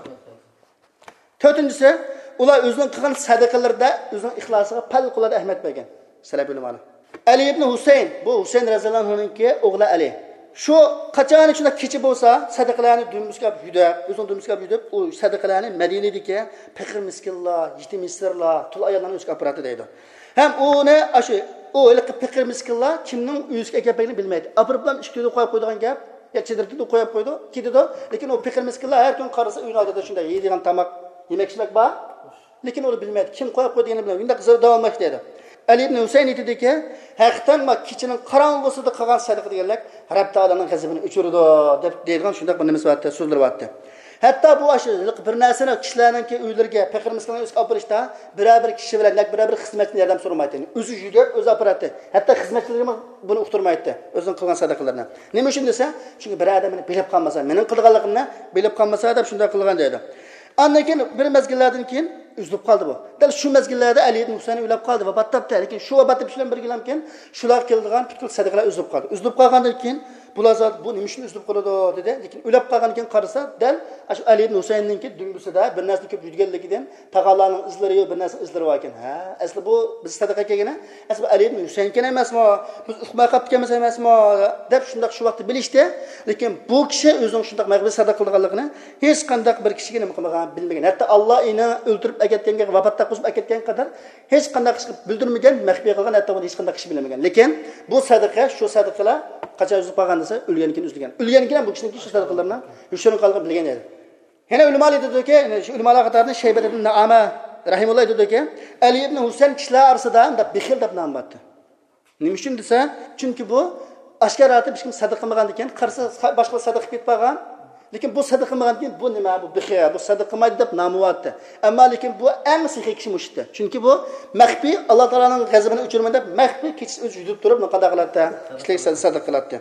تۆتىنچىسى، ئۇلار ئۆزىنىڭ قىلغان سەدىقىلىرىدە ئۆزىنىڭ ئىخلاسىغا پەۋقۇلئاددە ئەھمىيەت بەرگەن. سەلەپ ئۆلىمالار. ئەلى ئىبنى ھۈسەيىن، بۇ ھۈسەيىن رەزىياللاھۇ ئەنھۇنىڭكى ئوغلى ئەلى. شۇ قاچان شۇنداق كېچە بولسا، سەدىقىلەرنى دۈمبىسىگە ئاپ يۈدەپ، ئۆزىنىڭ دۈمبىسىگە ئاپ يۈدەپ، ئۇ سەدىقىلەرنى مەدىنىدىكى پېقىر مىسكىنلار، يېتىم يېسىرلار، تۇل ئاياللارنىڭ ئۆزىگە ئاپىراتتى دەيدۇ. ھەم ئۇنى ئاشۇ، ئۇ ھېلىقى پېقىر مىسكىنلار كىمنىڭ ئۆزىگە ئەكەپ بەرگىنىنى بىلمەيدۇ. ئاپىرىپلا ئىشىكتە قويۇپ قويىدىغان گەپ، يا چېدىردا قويۇپ قويىدۇ، كېتىدۇ. لېكىن ئۇ پېقىر مىسكىنلار ھەر كۈنى قارىسا ئۆينىڭ ئالدىدا شۇنداق يەيدىغان تاماق، يېمەك-ئىچمەك بار. لېكىن ئۇنى بىلمەيدۇ. كىم قويۇپ قويدى دېگىنى بىلمەيدۇ. شۇنداق زىردىۋالماق دەيدۇ. ئەلى ئىبن ھۈسەيىن ئېيتىدۇكى، ھەقىقەتەن ما كېچىنىڭ قاراڭغۇسىدا قىلغان سەدىقە دېگەنلىك رەب تائالانىڭ غەزىپىنى ئۆچۈرىدۇ دەپ دەيدىغان شۇنداق بىر نېمىسى بارتتى، سۆزلىرى بارتتى. ھەتتا بۇ ئاشۇ بىر نەرسىنى كىشىلەرنىڭكى ئۆيلىرىگە، پېقىر مىسكىنلارنىڭ ئۆيىگە ئاپىرىشتا بىرەر بىر كىشى بىلەن ياكى بىرەر بىر خىزمەتچىدىن ياردەم سورىمايتتى. ئۆزى يۈدۈپ، ئۆزى ئاپىراتتى. ھەتتا خىزمەتچىلىرىمۇ بۇنى ئۇقتۇرمايتتى، ئۆزىنىڭ قىلغان سەدىقىلىرىنى. نېمە ئۈچۈن دېسە، چۈنكى بىر ئادەم مېنى بىلىپ قالمىسا، مېنىڭ قىلىدىغانلىقىمنى بىلىپ قالمىسا دەپ شۇنداق قىلغان دەيدۇ. ئاندىن كېيىن بىر مەزگىللەردىن كېيىن ئۈزۈلۈپ قالدى بۇ. دەل شۇ مەزگىللەردە ئەلى ئىبن ھۈسەيىن ئۆلۈپ قالدى، ۋاپات تاپتى. لېكىن شۇ ۋاپات تېپىش بىلەن بىرگىلەمكىن شۇلارغا كېلىدىغان پۈتكۈل سەدىقىلەر ئۈزۈلۈپ قالدى. ئۈزۈلۈپ قالغاندىن كېيىن بۇلار زادى بۇ نېمە ئۈچۈن ئۈزۈلۈپ قالىدۇ دېدى. لېكىن ئۆلۈپ قالغاندىن كېيىن قارىسا، دەل ئاشۇ ئەلى ئىبن ھۈسەيىننىڭكى دۈمبىسىدە بىر نەرسىنى كۆپ يۈدىگەنلىكىدىن تاغارلارنىڭ ئىزلىرى يوق، بىر نەرسىنىڭ ئىزلىرى بار ئىكەن. ھە، ئەسلى بۇ بىز سەدىقە كەلگىنى، ئەسلى بۇ ئەلى ئىبن ھۈسەيىنكەن ئەمەسمۇ؟ بىز ئۇقماي قاپتىكەنمىز ئەمەسمۇ؟ دەپ شۇنداق شۇ ۋاقىتتا بىلىشتى. لېكىن بۇ كىشى ئۆزىنىڭ شۇنداق مەغپىرەت سەدىقە قىلىدىغانلىقىنى ھېچقانداق بىر كىشىگە نېمە قىلمىغان، بىلمىگەن. ھەتتا ئاللا ئېنى ئۆلتۈرۈپ ئەكەتكەنگە، ۋاپات تاپقۇزۇپ ئەكەتكەنگە قەدەر ھېچقانداق كىشىگە بىلدۈرمىگەن، مەخپىي قىلغان، ھەتتا بۇنى ھېچقانداق كىشى بىلمىگەن. لېكىن بۇ سەدىقە، شۇ سەدىقىلەر قاچان ئۈزۈلۈپ قالغان دېسە، ئۆلگەندىن كېيىن ئۈزۈلگەن. ئۆلگەندىن كېيىن بۇ كىشىنىڭكى شۇ سەدىقىلىرىنىڭ يوشۇرۇن قالغىنى بىلگەن ئىدى. يەنە ئۆلىمالار ئېيتىدۇكى، يەنە شۇ ئۆلىمالار قاتارىدىن شەيبەت ئىبن نەئامە رەھىمۇللا ئېيتىدۇكى، ئەلى ئىبن ھۈسەيىن كىشىلەر ئارىسىدا مۇنداق بېخىل دەپ نام بارتى. نېمە ئۈچۈن دېسە، چۈنكى بۇ ئاشكارا ھېچكىم سەدىقە قىلمىغاندىكىن، قارىسا باشقىلار سەدىقە قىلىپ كەتكەن. لېكىن بۇ سەدىقە قىلمىغاندىكىن، بۇ نېمە، بۇ بېخىل، بۇ سەدىقە قىلمايدۇ دەپ نامى بارتى. ئەمما لېكىن بۇ ئەڭ سېخىي كىشى مۇشۇتتى. چۈنكى بۇ مەخپىي، ئاللا تائالانىڭ غەزىپىنى ئۆچۈرىمەن دەپ مەخپىي كېچىسى ئۆزى يۈدۈپ تۇرۇپ، قانداق قىلاتتى؟ كىشىلەرگە سەدىقە قىلاتتى.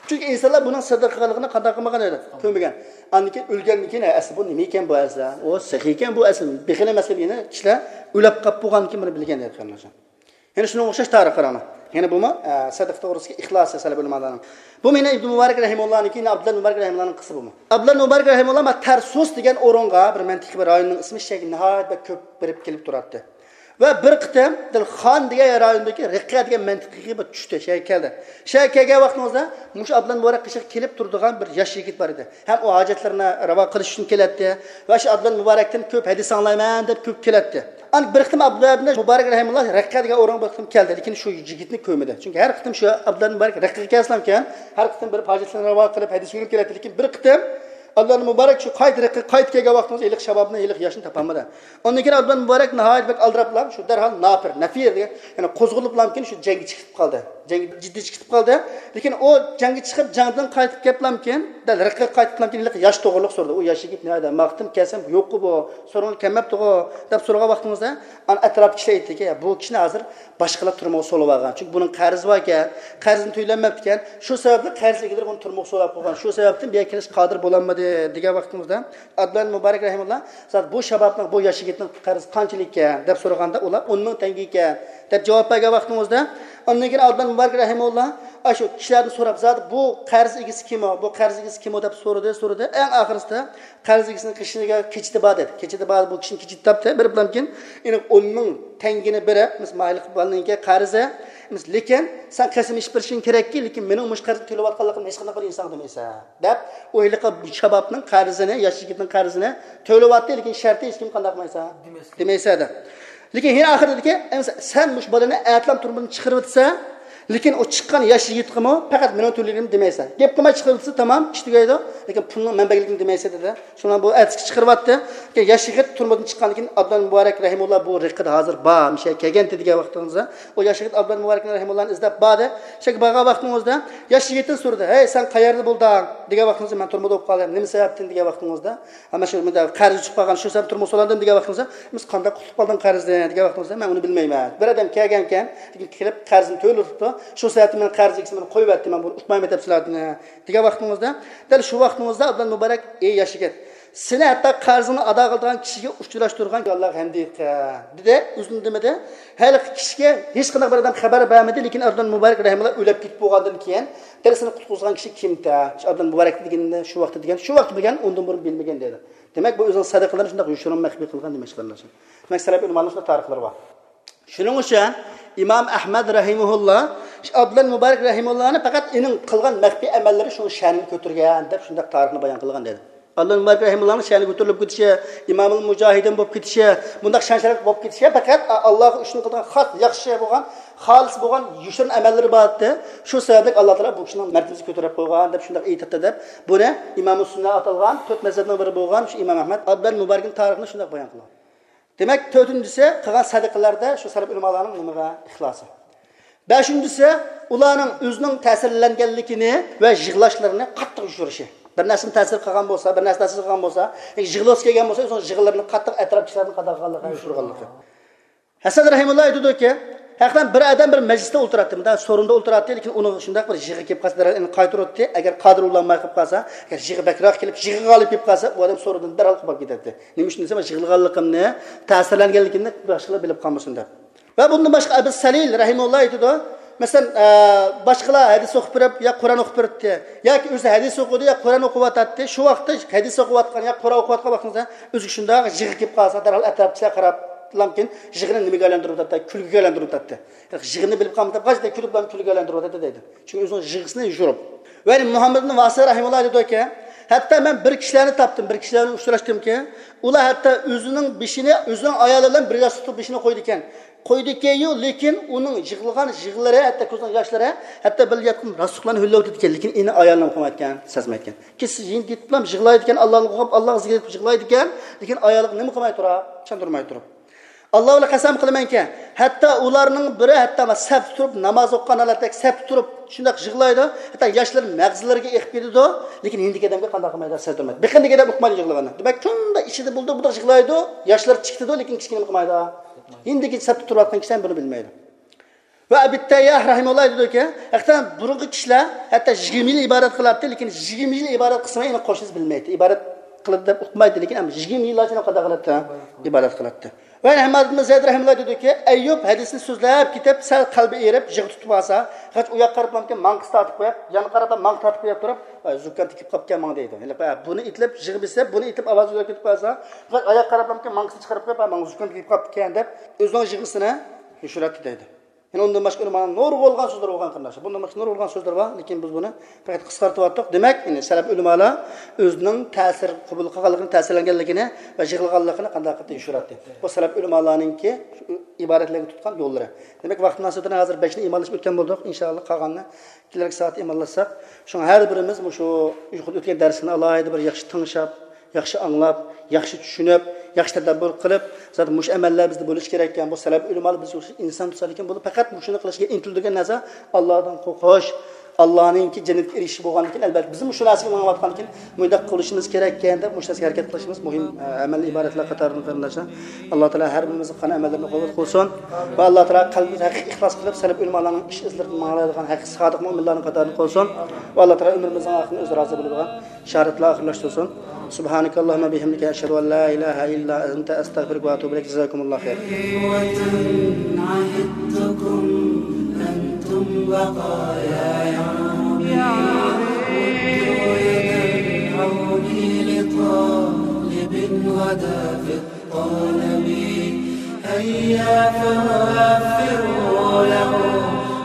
چۈنكى ئىنسانلار بۇنىڭ سەدىقە قىلغانلىقىنى قانداق قىلمىغان ئىدى؟ كۆرمىگەن. ئاندىن كېيىن ئۆلگەندىن كېيىن، ھە، ئەسلى بۇ نېمە ئىكەن بۇ ئەسلى؟ ئۇ سېخىي ئىكەن بۇ ئەسلى. بېخىل ئەمەس ئىكەن، يەنە كىشىلەر ئۆلۈپ قاپتۇ بولغاندىن كېيىن بۇنى بىلگەن ئىدى قېرىنداشلار. يەنە شۇنىڭغا ئوخشاش تارىخ قاراڭلار. يەنە بۇمۇ، ئە، سەدىقە توغرىسىدىكى ئىخلاس سەلەپ ئۆلىمالارنىڭ. بۇ مېنى ئىبن مۇبارەك رەھىمۇللانىڭكى، يەنە ئابدۇللا مۇبارەك رەھىمۇللانىڭ قىسسىسى بۇمۇ. ئابدۇللا مۇبارەك رەھىمۇللا ما تەرسۇس دېگەن ئورۇنغا، بىر مەنتىقە بىر رايوننىڭ ئىسمى، شۇ يەرگە ناھايىتى بەك كۆپ بېرىپ كېلىپ تۇراتتى. ۋە بىر قېتىم دىل خان دېگەن رايوندىكى رىققە دېگەن مەنتىقىگە بىر چۈشتى، شۇ يەرگە كەلدى. شۇ يەرگە كەلگەن ۋاقتىڭىزدا مۇشۇ ئابدۇللا مۇبارەك قېشىغا كېلىپ تۇرىدىغان بىر ياش يىگىت بار ئىدى. ھەم ئۇ ھاجەتلىرىنى راۋا قىلىش ئۈچۈن كېلەتتى ۋە شۇ ئابدۇللا مۇبارەكتىن كۆپ ھەدىس ئاڭلايمەن دەپ كۆپ كېلەتتى. ئاندىن بىر قېتىم ئابدۇللا ئىبنى مۇبارەك رەھىمۇللا رەققە دېگەن ئورۇنغا بىر قېتىم كەلدى، لېكىن شۇ يىگىتنى كۆرمىدى. چۈنكى ھەر قېتىم شۇ ئابدۇللا مۇبارەك رەققىگە كەلسىلەمكەن، ھەر قېتىم بېرىپ ھاجەتلىرىنى راۋا قىلىپ، ھەدىس ئۆگىنىپ كېلەتتى. لېكىن بىر قېتىم ئابدۇللا مۇبارەك شۇ قايتا رەققىگە قايتىپ كەلگەن ۋاقتىمىزدا ھېلىقى شابابنى، ھېلىقى ياشنى تاپالمىدى. ئاندىن كېيىن ئابدۇللا مۇبارەك ناھايىتى بەك ئالدىراپلا، شۇ دەرھال ناپىر، نەفىر دېگەن، يەنى قوزغىلىپلامكىن شۇ جەڭگە چىقىپ قالدى. جەڭگە جىددىي چىقىپ قالدى. لېكىن ئۇ جەڭگە چىقىپ، جەڭدىن قايتىپ كەپلامكىن، دەل رەققىگە قايتىپلامكىن، ھېلىقى ياش توغرىلىق سورىدى. ئۇ ياش يىگىت نەدە؟ ماقتىن كەلسەم يوققۇ بۇ، سورىغىلى كەلمەپتىغۇ دەپ سورىغان ۋاقتىمىزدا، ئانا ئەتراپتىكى كىشىلەر ئېيتتىكى، يا، بۇ كىشىنى ھازىر باشقىلار تۈرمىگە سولىۋالغان. چۈنكى بۇنىڭ قەرزى باركەن، قەرزىنى تۆلىيەلمەپتىكەن. شۇ سەۋەبلىك قەرز ئىگىلىرى بۇنى تۈرمىگە سولاپ قويغان. شۇ سەۋەبتىن بۇ يەرگە كېلىشكە قادىر بولالمىدى دېگەن ۋاقتىمىزدا، ئابدۇللا مۇبارەك رەھىمۇللا، زادى بۇ شابابنىڭ، بۇ ياش يىگىتنىڭ قەرزى قانچىلىك ئىكەن دەپ سورىغاندا، ئۇلار ئون مىڭ تەڭگە ئىكەن دەپ جاۋاب بەرگەن ۋاقتىمىزدا، ئاندىن كېيىن ئابدۇللا مۇبارەك رەھىمۇللا ئاشۇ كىشىلەردىن سوراپ، زادى بۇ قەرز ئىگىسى كىمۇ، بۇ قەرز ئىگىسى كىمۇ دەپ سورىدى، سورىدى. ئەڭ ئاخىرسىدا قەرز ئىگىسىنىڭ قېشىغا كېچىتى بار دېدى. كېچىتى بار، بۇ كىشىنىڭ كېچىتى تاپتى. بېرىپلامكىن، ئېنىق ئون مىڭ تەڭگىنى بېرىپ، مىس ماھىلىق بالىنىڭكى قەرزى، مىس لېكىن سەن قەسەم ئىچىپ بېرىشىڭ كېرەككى، لېكىن مېنىڭ مۇشۇ قەرزنى تۆلەۋاتقانلىقىمنى ھېچقانداق بىر ئىنسانغا دېمەيسەن، دەپ، ئۇ ھېلىقى شابابنىڭ قەرزىنى، ياش يىگىتنىڭ قەرزىنى تۆلىۋاتتى، لېكىن شەرتى ھېچكىمگە قانداق قىلمايسەن؟ دېمەيسەن. دېمەيسەن، دە. لېكىن ھېلى ئاخىرىدىكى، ئەمسە سەن مۇشۇ بالىنى ئەتىلام تۈرمىدىن چىقىرىۋېتىسەن، لېكىن ئۇ چىققان ياش يىگىتقىمۇ پەقەت مېنىڭ تۆلىگىنىمنى دېمەيسەن. گەپ قىلماي چىقىرىۋېتىسە تامام، ئىش تۈگەيدۇ. لېكىن پۇلنىڭ مەنبەلىكىنى دېمەيسەن، دېدى. شۇنىڭ بۇ ئەتىسىگە چىقىرىۋەتتى. لېكىن ياش يىگىت تۈرمىدىن چىققاندىن كېيىن ئابدۇللا مۇبارەك رەھىمۇللا بۇ رىقىدە ھازىر بار، مىشە كەلگەنتى دېگەن ۋاقتىڭىزدا، ئۇ ياش يىگىت ئابدۇللا مۇبارەك رەھىمۇللانى ئىزدەپ باردى. شەكى بارغان ۋاقتىڭىزدا ياش يىگىتتىن سورىدى، ھەي، سەن قەيەردە بولدۇڭ؟ دېگەن ۋاقتىڭىزدا، مەن تۈرمىدە بولۇپ قالدىم. نېمە سەۋەبتىن؟ دېگەن ۋاقتىڭىزدا، ھەممە شۇ مۇنداق قەرز چىقىپ قالغان، شۇ سەۋەبتىن تۈرمىگە سولاندىم دېگەن ۋاقتىڭىزدا، بىز قانداق قۇتۇلۇپ قالدىڭ قەرزدىن دېگەن ۋاقتىڭىزدا، مەن ئۇنى بىلمەيمەن. بىر ئادەم كەلگەنكەن، لېكىن كېلىپ قەرزنى تۆلىۋېتىپتۇ. شۇ سەۋەبتىن مەن قەرز ئىگىسى مېنى قويۇۋەتتى، مەن بۇنى ئۇقمايمەن دەپ سىلەردىن دېگەن ۋاقتىڭىزدا، دەل شۇ ۋاقتىڭىزدا ئابدۇللا مۇبارەك، ئەي ياش يىگىت، سېنى ھەتتا قەرزىڭنى ئادا قىلىدىغان كىشىگە ئۇچراشتۇرغان ئاللاغا ھەمدى دېدى، ئۆزىنى دېمىدى. ھېلىقى كىشىگە ھېچقانداق بىر ئادەم خەۋەر بەرمىدى، لېكىن ئابدۇللا مۇبارەك رەھىمۇللا ئۆلۈپ كېتىپ بولغاندىن كېيىن، دەل سېنى قۇتقۇزغان كىشى كىمتە؟ شۇ ئابدۇللا مۇبارەك دېگىنىنى شۇ ۋاقىتتا دېگەن، شۇ ۋاقىتتا بىلگەن، ئۇندىن بۇرۇن بىلمىگەن دەيدۇ. دېمەك، بۇ ئۆزىنىڭ سەدىقىلىرىنى شۇنداق يوشۇرۇن مەخپىي قىلغان دېمەكچى، قېرىنداشلار. دېمەك، سەلەف ئۆلىمالارنىڭ شۇنداق تارىخلىرى بار. شۇنىڭ ئۈچۈن ئىمام ئەھمەد رەھىمەھۇللا شۇ ئابدۇللا مۇبارەك رەھىمەھۇللانى پەقەت ئېنىڭ قىلغان مەخپىي ئەمەللىرى شۇنىڭ شەنىنى كۆتۈرگەن دەپ شۇنداق تارىخنى بايان قىلغان دەيدۇ. ئابدۇللا مۇبارەك رەھىمەھۇللانىڭ شەنى كۆتۈرۈلۈپ كېتىشى، ئىمامۇل مۇجاھىدىن بولۇپ كېتىشى، بۇنداق شان شەرەپ بولۇپ كېتىشى پەقەت ئاللاغا ئۈچۈن قىلغان خاس ياخشى بولغان، خالىس بولغان يوشۇرۇن ئەمەللىرى بار ئىدى. شۇ سەۋەبلىك ئاللا تائالا بۇ كىشىنىڭ مەرتىۋىسىنى كۆتۈرۈپ قويغان دەپ شۇنداق ئېيتاتتى دەپ، بۇنى ئىمامۇ سۈننە ئاتالغان تۆت مەزھەپنىڭ بىرى بولغان شۇ ئىمام ئەھمەد ئابدۇللا مۇبارەكنىڭ تارىخىنى شۇنداق بايان قىلغان. دېمەك، تۆتىنچىسى، قىلغان سەدىقىلەردە شۇ سەلەف ئۆلىمالارنىڭ نېمىغا؟ ئىخلاسى. بەشىنچىسى، ئۇلارنىڭ ئۆزىنىڭ تەسىرلەنگەنلىكىنى ۋە يىغلاشلىرىنى قاتتىق يوشۇرۇشى. بىر نەرسىدىن تەسىر قىلغان بولسا، بىر نەرسە تەسىر قىلغان بولسا، يىغلىسى كەلگەن بولسا، ئۆزىنىڭ يىغلىرىنى قاتتىق ئەتراپتىكىلەردىن قانداق قىلغانلىقىنى يوشۇرغانلىقى. ھەسەن رەھىمۇللا ئېيتىدۇكى، ھەقىقەتەن بىر ئادەم بىر مەجلىستە ئولتۇراتتى، مۇنداق سورۇندا ئولتۇراتتى، لېكىن ئۇنىڭغا شۇنداق بىر يىغا كېلىپ قالسا، دەرھال ئۇنى قايتۇراتتى. ئەگەر قادىر بولالماي قېلىپ قالسا، ئەگەر يىغا بەكرەك كېلىپ، يىغا غالىب كېلىپ قالسا، ئۇ ئادەم سورۇندىن دەرھال قوپۇپ كېتەتتى. نېمە ئۈچۈن دېسە، مەن يىغلىغانلىقىمنى، تەسىرلەنگەنلىكىمنى باشقىلار بىلىپ قالمىسۇن دەپ. ۋە بۇندىن باشقا ئەبۇ سەلىل رەھىمۇللا ئېيتىدۇ، مەسىلەن، ئە، باشقىلار ھەدىس ئوقۇپ بېرىپ يا قۇرئان ئوقۇپ بېرىپتى، ياكى ئۆزى ھەدىس ئوقۇدى يا قۇرئان ئوقۇۋاتاتتى. شۇ ۋاقىتتا ھەدىس ئوقۇۋاتقان يا قۇرئان ئوقۇۋاتقان ۋاقتىڭىزدا ئۆزىگە شۇنداق يىغا كېلىپ قالسا، دەرھال ئەتراپتىكىلەر قاراپلامكىن، يىغىنى نېمىگە ئايلاندۇرۇۋاتاتتى؟ كۈلكىگە ئايلاندۇرۇۋاتاتتى. يىغىنى بىلىپ قالمىدى، غاجدا كۈلۈپ، كۈلكىگە ئايلاندۇرۇۋاتاتتى دەيدۇ. چۈنكى ئۆزىنىڭ يىغىسىنى يوشۇرۇپ. ۋە مۇھەممەد ئىبن ۋاسىل رەھىمۇللا دېدىكى، ھەتتا مەن بىر كىشىلەرنى تاپتىم، بىر كىشىلەر بىلەن ئۇچراشتىمكى، ئۇلار ھەتتا ئۆزىنىڭ بېشىنى، ئۆزىنىڭ ئايالى بىلەن بىر ياستۇقتا بېشىنى قويىدىكەن. قويىدىكەنيۇ، لېكىن ئۇنىڭ يىغلىغان يىغلىرى، ھەتتا كۆزىنىڭ ياشلىرى، ھەتتا بىر ياتقان راستۇقلارنى ھۆللەۋېتىدىكەن، لېكىن ئېنى ئايالىنى قىلمايدىكەن، سەزمەيدىكەن. كېچىسى يېنىپ كېتىپلا يىغلايدىكەن، ئاللانى قوغلاپ، ئاللاغا زىكىر ئېيتىپ يىغلايدىكەن، لېكىن ئايالىغا نېمە قىلماي تۇرۇپ، چاندۇرماي تۇرۇپ. ئاللا بىلەن قەسەم قىلىمەنكى، ھەتتا ئۇلارنىڭ بىرى ھەتتا سەپتە تۇرۇپ، ناماز ئوقۇغان ھالەتتە سەپتە تۇرۇپ، شۇنداق يىغلايدۇ، ھەتتا ياشلىرى مەغزىلىرىگە ئېقىپ كېتىدۇ، لېكىن ھېلىكى ئادەمگە قانداق قىلمايدۇ، سەزدۈرمەيدۇ. بېقىندىكى ئادەم ئۇقمايدۇ يىغلىغاننى. دېمەك، شۇنداق ئىچىدە بولىدۇ، بۇنداق يىغلايدۇ، ياشلىرى چىقىدۇ، لېكىن كىچىككىنە قىلمايدۇ. ھېلىكى سەپتە تۇرۇۋاتقان كىشى ھەم بۇنى بىلمەيدۇ. ۋە ئەبۇ تەيياھ رەھىمۇللا دېدىكى، ھەقىقەتەن بۇرۇنقى كىشىلەر ھەتتا يىگىرمە يىل ئىبادەت قىلاتتى، لېكىن يىگىرمە يىل ئىبادەت قىلسىمۇ ئېنىق قوشنىسى بىلمەيتتى. ئىبادەت قىلىدۇ دەپ ئۇقمايتتى، لېكىن ئەمما يىگىرمە يىللارچە قانداق قىلاتتى؟ ئىبادەت قىلاتتى. ۋە ھەمماد ئىبن زەيد رەھىمۇللا دېدىكى، ئەييۇب ھەدىسنى سۆزلەپ كېتىپ، سەل قەلبى ئېرىپ، يىغا تۇتۇپ قالسا، غاچ ئۇ ياققا قاراپلامكىن ماڭقىسى تارتىپ قويۇپ، يانغا قاراپلا ماڭقا تارتىپ قويۇپ تۇرۇپ، «ۋاي، زۇكام تېگىپ قاپتىكەن ماڭا» دەيدۇ. ھېلىقى بۇنى ئېيتىپ، يىغا بېسىپ، بۇنى ئېيتىپ، ئاۋازى ئۆزگىرىپ كېتىپ قالسا، غاچ ئاياغقا قاراپلامكىن ماڭقىسىنى چىقىرىپ قويۇپ، «ۋاي، ماڭا زۇكام تېگىپ قاپتىكەن» دەپ، ئۆزىنىڭ يىغىسىنى يوشۇراتتى دەيدۇ. يەنە ئۇندىن باشقا ئۆلىمانىڭ نۇرغۇنلىغان سۆزلىرى بولغان، قېرىنداشلار. بۇندىن باشقا نۇرغۇنلىغان سۆزلىرى بار، لېكىن بىز بۇنى پەقەت قىسقارتىۋاتتۇق. دېمەك، يەنى سەلەپ ئۆلىمالار ئۆزىنىڭ تەسىر قوبۇل قىلغانلىقىنى، تەسىرلەنگەنلىكىنى ۋە يىغلىغانلىقىنى قانداق قىلىپ يوشۇراتتى؟ بۇ سەلەپ ئۆلىمالارنىڭكى ئىبادەتلەرگە تۇتقان يوللىرى. دېمەك، ۋاقىت مۇناسىۋىتى ھازىر بەشنى ئىمانلىشىپ ئۆتكەن بولدۇق. ئىنشائاللا، قالغاننى كېلەركى سائەت ئىمانلاشساق، شۇڭا ھەر بىرىمىز مۇشۇ ئۆتكەن دەرسنى ئالاھىدە بىر ياخشى تىڭشاپ، ياخشى ئاڭلاپ، ياخشى چۈشىنىپ، ياخشى تەدەببۇر قىلىپ، زادى مۇشۇ ئەمەللەر بىزدە بولۇشى كېرەككەن. بۇ سەلەپ ئۆلىمالار بىز ئىنسان تۇتسا، لېكىن بۇ پەقەت مۇشۇنى قىلىشقا ئىنتىلىدىغان نەرسە ئاللادىن قورقۇش، ئاللانىڭكى جەننەتكە ئېرىشىش بولغاندىكىن، ئەلۋەتتە، بىز مۇشۇ نەرسىگە ماڭىۋاتقاندىكىن، مۇنداق قىلىشىمىز كېرەككەن دەپ، مۇشۇ نەرسىگە ھەرىكەت قىلىشىمىز مۇھىم، ئە، ئەمەل ئىبادەتلەر قاتارىدىن، قېرىنداشلار. ئاللا تائالا ھەر بىرىمىزنىڭ قىلغان ئەمەللىرىنى قوبۇل قىلسۇن. ۋە ئاللا تائالا قەلبىمىزنى ھەقىقىي ئىخلاس قىلىپ، سەلەپ ئۆلىمالارنىڭ ئىش ئىزلىرىدىن ماڭالايدىغان ھەقىقىي سادىق مۆمىنلەرنىڭ قاتارىدىن قىلسۇن. ۋە ئاللا تائالا ئۆمرىمىزنىڭ ئاخىرىنى ئۆزى رازى بولىدىغان شاھادەتلەر ئاخىرلاشتۇرسۇن. سبحانك اللهم بحمدك، أشهد أن لا إله إلا أنت، أستغفرك وأتوب إليك. جزاكم الله خير. بقايا يا ربي، مدوا يد العون لطالب غدا في الطلب. هيا فوفروا له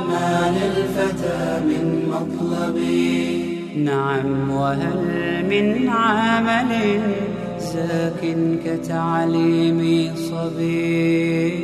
ما للفتى من مطلب. نعم، وهل من عمل زاك كتعليم صبي؟